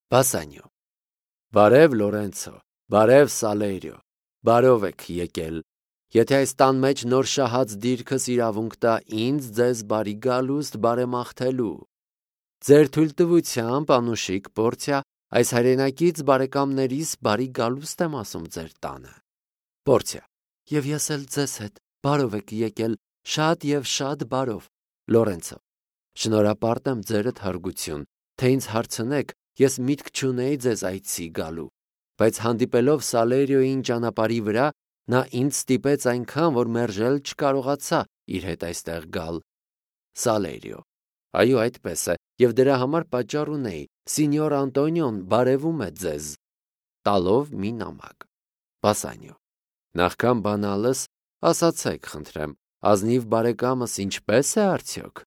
Բասանյո. Բարև Լորենցո, բարև Սալերիո, բարով եք եկել, եթե այս տան մեջ նոր շահած դիրքս իրավունք տա ինձ ձեզ բարի գալուստ բարեմաղթելու։ Ձեր թույլտվությամբ անուշիկ Պորցիա, այս հայրենակից բարեկամներիս բարի գալուստ եմ ասում ձեր տանը։ Պորցիա. Եվ ես էլ ձեզ հետ բարով եք եկել, շատ եւ շատ բարով։ Լորենցո. Շնորհապարտ եմ ձերդ հարգություն, թե ինձ հարցնեք, ես միտք չունեի ձեզ այցի գալու, բայց հանդիպելով Սալերիոյին ճանապարհի վրա, նա ինձ ստիպեց այնքան, որ մերժել չկարողացա իր հետ այստեղ գալ։ Սալերիո. Այո, այդպես է, եւ դրա համար պատճառ ունեի, Սինյոր Անտոնիոն բարևում է ձեզ, տալով մի նամակ։ Բասանյո. Նախքան բանալս, ասացեք, խնդրեմ, ազնիվ բարեկամս ինչպես է արդյոք։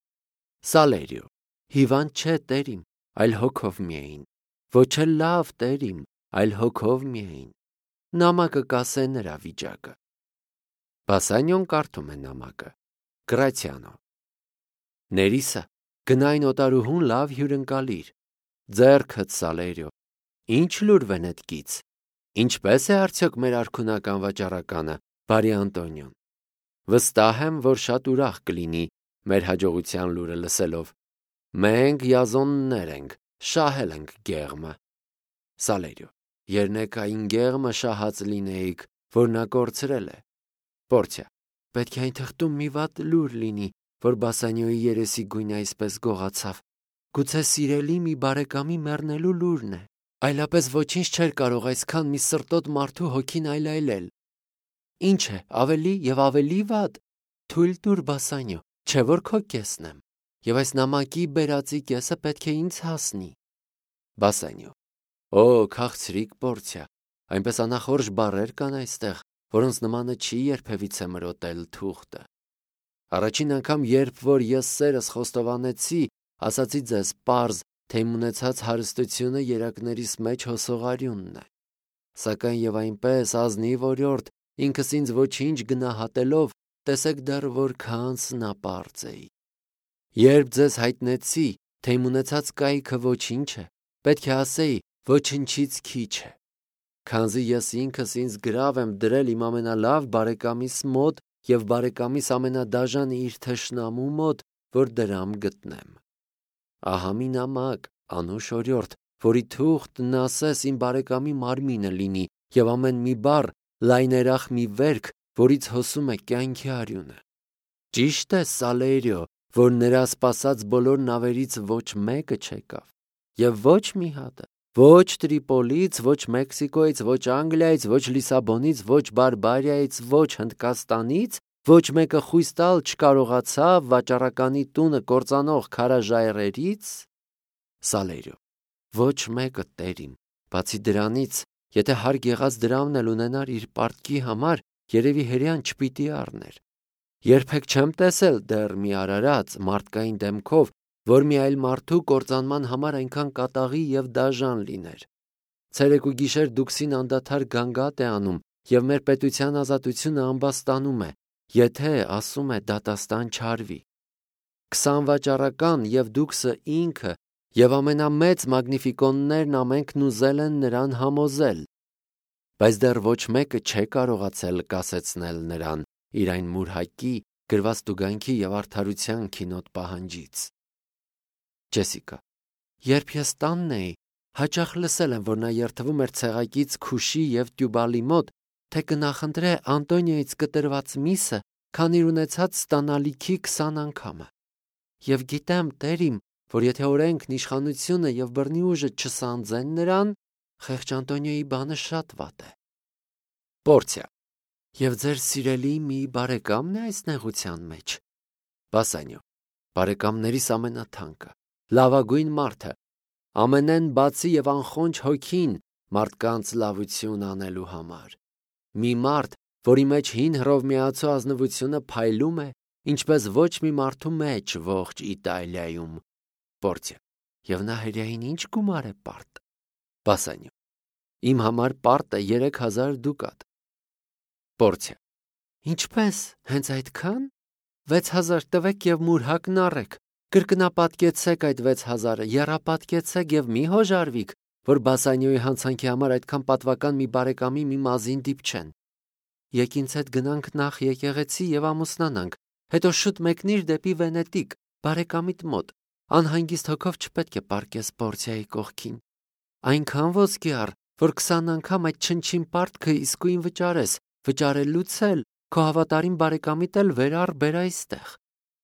Սալերիո. Հիվանդ չէ, տերիմ, այլ հոգով միայն, ոչ էլ լավ, տերիմ, այլ հոգով միայն, նամակը կասե նրա վիճակը։ Բասանյոն կարդում է նամակը։ Գրացիանո. Ներիսա, գնային օտարուհուն լավ հյուրընկալիր, ձեռքդ Սալերիո, ինչ լուրվեն էդ կից, ինչպես է արդյոք մեր արքունական վաճառականը, բարի Անտոնիոն, վստահ եմ, որ շատ ուրախ կլինի մեր հաջողության լուրը լսելով, մենք յազոններ ենք, շահել ենք գեղմը։ Սալերիո. Երնեկային գեղմը շահած լինեիք, որ նա կորցրել է։ Պորցիա. պետք է այն թղթում մի վատ լուր լինի, որ Բասանյոյի երեսի գույնը այսպես գողացավ, գուցե սիրելի մի բարեկամի մեռնելու լուրն է, այլապես ոչինչ չէր կարող այսքան մի սրտոտ մարդու հոգին այլայլել։ Ինչ է, ավելի եւ ավելի վատ, թույլ տուր Բասանյո, չէ որ քո կեսն եմ, եւ այս նամակի բերածի կեսը պետք է ինձ հասնի։ Բասանյո. Օ, քաղցրիկ Պորցիա, այնպես անախորժ բառեր կան այստեղ, որոնց նմանը չի երբևիցե մրոտել թուղթը։ Առաջին անգամ, երբ որ ես սերս խոստովանեցի, ասացի ձեզ պարզ, թե իմ ունեցած հարստությունը երակներիս մեջ հոսողարյունն է։ Սակայն եւ այնպես ազնիվ օրիորդ, ինքս ինձ ոչինչ գնահատելով, տեսեք դեռ որքան սնապարծ էի։ Երբ ձեզ հայտնեցի, թե իմ ունեցած կայքը ոչինչ է, պետք է ասեի, ոչնչից քիչ է։ Քանզի ես ինքս ինձ գրավ եմ դրել իմ ամենալավ բարեկամիս մոտ եւ բարեկամիս ամենադաժան իր թշնամու մոտ, որ դրամ գտնեմ։ Ահա մի նամակ, անուշ օրիորդ, որի թուղթն ասես իմ բարեկամի մարմինը լինի եւ ամեն մի բառ լայներախ մի վերք, որից հոսում է կյանքի արյունը։ Ճիշտ է, Սալերիո, որ նրա սպասած բոլոր նավերից ոչ մեկը չեկավ, եւ ոչ մի հատը, ոչ Տրիպոլից, ոչ Մեքսիկոյից, ոչ Անգլիայից, ոչ Լիսաբոնից, ոչ Բարբարիայից, ոչ Հնդկաստանից, ոչ մեկը խույս տալ չկարողացավ վաճառականի տունը կործանող քարաժայռերից։ Սալերիո. Ոչ մեկը, տերիմ, բացի դրանից, եթե հարկ եղած դրամն էլ ունենար իր պարտքի համար, երևի հրեան չպիտի առներ։ Երբեք չեմ տեսել դեռ մի արարած մարդկային դեմքով, որ մի այլ մարդու կործանման համար այնքան կատաղի եւ դաժան լիներ։ Ցերեկ ու գիշեր դուքսին անդադար գանգատ է անում եւ մեր պետության ազատությունը ամբաստանում է, եթե ասում է դատաստան չարվի։ 20 վաճառական եւ դուքսը ինքը եւ ամենամեծ մագնիֆիկոններն ամենքն ուզել են նրան համոզել, բայց դեռ ոչ մեկը չէ կարողացել կասեցնել նրան իր այն մուրհակի, գրված տուգանքի եւ արդարության քինոտ պահանջից։ Ջեսիկա. Երբ ես տանն էի, հաճախ լսել եմ, որ նա երթվում էր ցեղակից Քուշի եւ Տյուբալի մոտ, թե կնախընտրե Անտոնիոյից կտրված միսը, քան իր ունեցած ստանալիքի 20 անգամը։ Եվ գիտեմ, տերիմ, որ եթե օրենքն, իշխանությունը եւ բռնի ուժը չսանձեն նրան, խեղճ Անտոնիոյի բանը շատ վատ է։ Պորցիա. Եվ ձեր սիրելի մի բարեկամն է այս նեղության մեջ։ Բասանյո. բարեկամներիս ամենաթանկը, լավագույն մարդը, ամենեն բացի եւ անխոնջ հոգին մարդկանց լավություն անելու համար։ Մի մարդ, որի մեջ հին հռովմեացու ազնվությունը փայլում է, ինչպես ոչ մի մարդու մեջ ողջ Իտալիայում։ Պորցիա. Եվ նա հրեային ինչ գումար է պարտ։ Բասանյո. Իմ համար պարտը 3000 դուկատ։ Պորցիա. Ինչպես, հենց այդքան։ 6000 տվեք եւ մուրհակն առեք, կրկնապատկեցեք այդ 6000-ը, եռապատկեցեք եւ մի հոժարվիք, որ Բասանիոյի հանցանքի համար այդքան պատվական մի բարեկամի մի մազին դիպչեն։ Եկ ինձ հետ գնանք նախ եկեղեցի եւ ամուսնանանք, հետո շուտ մեկնիր դեպի Վենետիկ, բարեկամիդ մոտ, անհանգիստ հոգով չպետք է պառկես Պորցիայի կողքին։ Այնքան ոսկի առ, որ 20 անգամ այդ չնչին պարտքը իսկույն վճարելուց էլ քո հավատարիմ բարեկամիդ էլ վերար բեր այստեղ։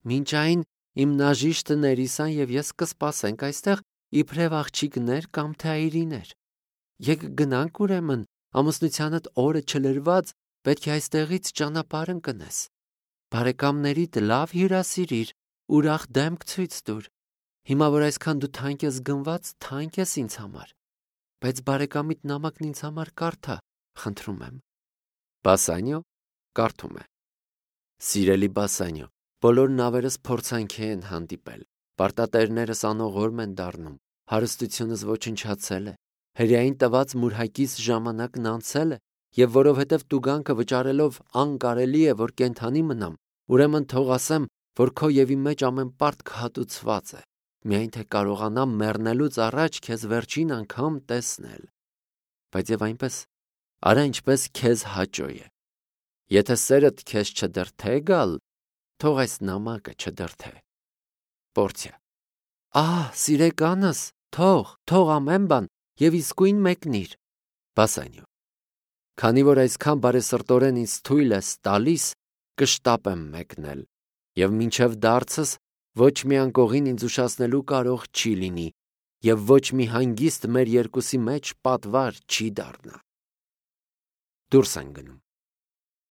Մինչ այն իմ նաժիշտը Ներիսան եւ ես կսպասենք այստեղ իբրև աղջիկներ կամ թե այրիներ։ Եկ գնանք ուրեմն, ամուսնությանդ օրը չլրված պետք է այստեղից ճանապարհ ընկնես։ Բարեկամներիդ լավ հյուրասիրիր, ուրախ դեմք ցույց տուր։ Հիմա որ այսքան դու թանկ ես գնված, թանկ ես ինձ համար։ Բայց բարեկամիդ նամակն ինձ համար կարդա, խնդրում եմ։ Բասանիո կարդում է. Սիրելի Բասանիո, բոլոր նավերս փորձանքի են հանդիպել, պարտատերներս անողորմ են դառնում, հարստությունս ոչնչացել է, հրեային տված մուրհակիս ժամանակն անցել է, եւ որովհետեւ տուգանքը վճարելով անկարելի է, որ կենթանի մնամ, ուրեմն թող ասեմ, որ քո եւ իմ մեջ ամեն պարտք հատուցված է, միայն թե կարողանամ մեռնելուց առաջ քեզ վերջին անգամ տեսնել։ Բայց եւ այնպես, արա ինչպես քեզ հաճո է։ Եթե սերդ քեզ չդրթե գալ, թող այս նամակը չդրթե։ Պորցիա. Սիրեկանս, թող ամեն բան եւ իսկույն մեկնիր։ Բասանիո. Քանի որ այսքան բարեսրտորեն ինձ թույլ ես տալիս, կշտապեմ մեկնել, եւ մինչեւ դարձս ոչ մի անկողին ինձ ուշացնելու կարող չի լինի, եւ ոչ մի հանգիստ մեր երկուսի մեջ պատվար չի դառնա։ Դուրս են գնում։